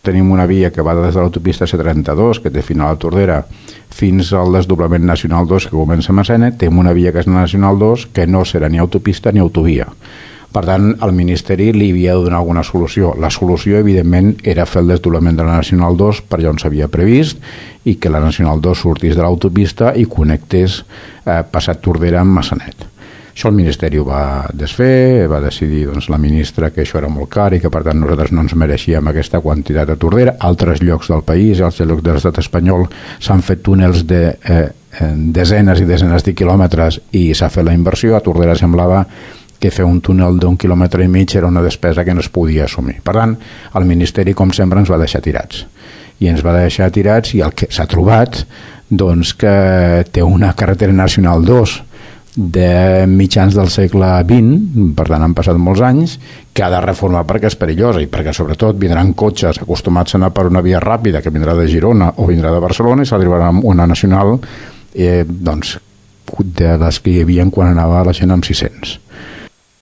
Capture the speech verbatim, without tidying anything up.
Tenim una via que va des de l'autopista C trenta-dos, que té final a Tordera, fins al desdoblament Nacional dos, que comença a Massena. Tenim una via que és Nacional dos, que no serà ni autopista ni autovia. Per tant, el Ministeri li havia de donar alguna solució. La solució, evidentment, era fer el desdoblament de la Nacional dos per allà on s'havia previst i que la Nacional dos sortís de l'autopista i connectés eh, passat Tordera amb Massanet. Això el Ministeri ho va desfer, va decidir doncs, la ministra que això era molt car i que per tant nosaltres no ens mereixíem aquesta quantitat a Tordera. Altres llocs del país, als llocs de l'estat espanyol, s'han fet túnels de eh, desenes i desenes de quilòmetres i s'ha fet la inversió. A Tordera semblava que fer un túnel d'un quilòmetre i mig era una despesa que no es podia assumir. Per tant, el Ministeri, com sempre, ens va deixar tirats. I ens va deixar tirats i el que s'ha trobat, doncs, que té una carretera nacional dos de mitjans del segle vint, per tant han passat molts anys, que ha de reformar perquè és perillosa i perquè sobretot vindran cotxes acostumats a anar per una via ràpida que vindrà de Girona o vindrà de Barcelona i s'arribarà amb una nacional eh, doncs, de les que hi havia quan anava la gent amb sis cents.